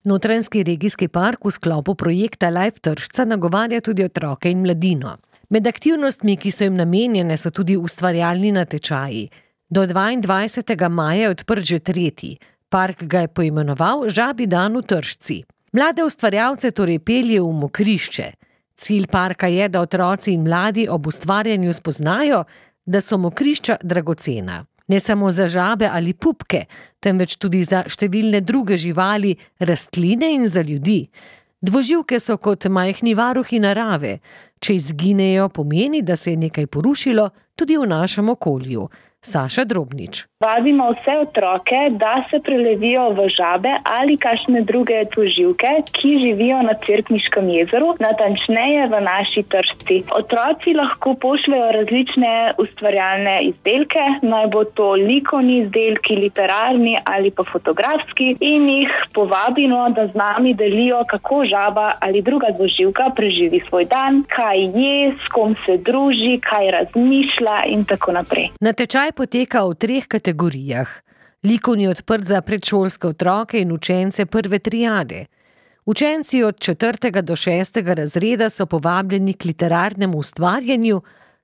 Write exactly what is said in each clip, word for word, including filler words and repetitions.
Notranjski regijski park v sklopu projekta Life Tršca nagovarja tudi otroke in mladino. Med aktivnostmi, ki so jim namenjene, so tudi ustvarjalni natečaji. Do dvaindvajsetega maja je odprt že tretji. Park ga je poimenoval Žabji dan v Tršci. Mlade ustvarjalce torej pelje v mokrišče. Cilj parka je, da otroci in mladi ob ustvarjanju spoznajo, da so mokrišča dragocena. Ne samo za žabe ali pupke, temveč tudi za številne druge živali, rastline in za ljudi. Dvoživke so kot majhni varuhi narave. Če izginejo, pomeni, da se je nekaj porušilo tudi v našem okolju. Saša Drobnič. Vabimo vse otroke, da se prelevijo v žabe ali kakšne druge dvoživke, ki živijo na Cerkniškem jezeru, natančneje v naši Tršci. Otroci lahko pošljejo različne ustvarjalne izdelke, naj bo to likovni izdelki, literarni ali pa fotografski, in jih povabimo, da z nami delijo, kako žaba ali druga dvoživka preživi svoj dan, kaj je, s kom se druži, kaj razmišlja in tako naprej. Natečaj poteka v treh kategorijah. Likovni je odprt za predšolske otroke in učence prve triade. Učenci od četrtega do šestega razreda so povabljeni k literarnemu ustvarjanju,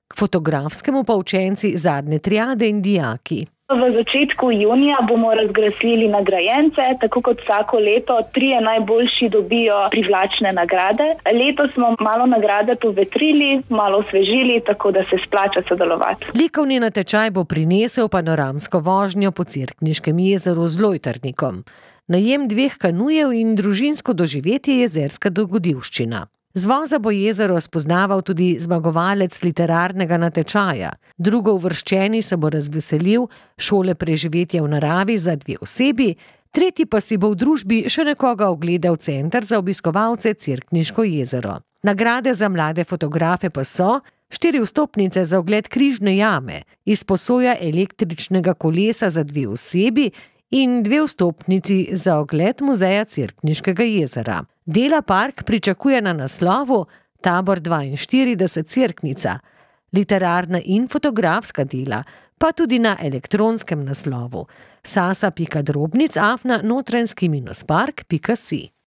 k fotografskemu pa učenci zadnje triade in dijaki. V začetku junija bomo razglasili nagrajence, tako kot vsako leto. Trije najboljši dobijo privlačne nagrade. Letos smo malo nagrade povetrili, malo osvežili, tako da se splača sodelovati. Likovni natečaj bo prinesel panoramsko vožnjo po Cerkniškem jezeru z lojtrnikom, najem dveh kanujev in družinsko doživetje jezerska dogodivščina. Z voza bo jezero spoznaval tudi zmagovalec literarnega natečaja. Drugo uvrščeni se bo razveselil šole preživetja v naravi za dve osebi, tretji pa si bo v družbi še nekoga ogledal center za obiskovalce Cerkniško jezero. Nagrade za mlade fotografe pa so štiri vstopnice za ogled Križne jame, izposoja električnega kolesa za dve osebi in dve vstopnici za ogled muzeja Cerkniškega jezera. Dela park pričakuje na naslovu Tabor dvainštirideset Cerknica, literarna in fotografska dela, pa tudi na elektronskem naslovu sasa pika drobnic afna notranjski minus park pika si.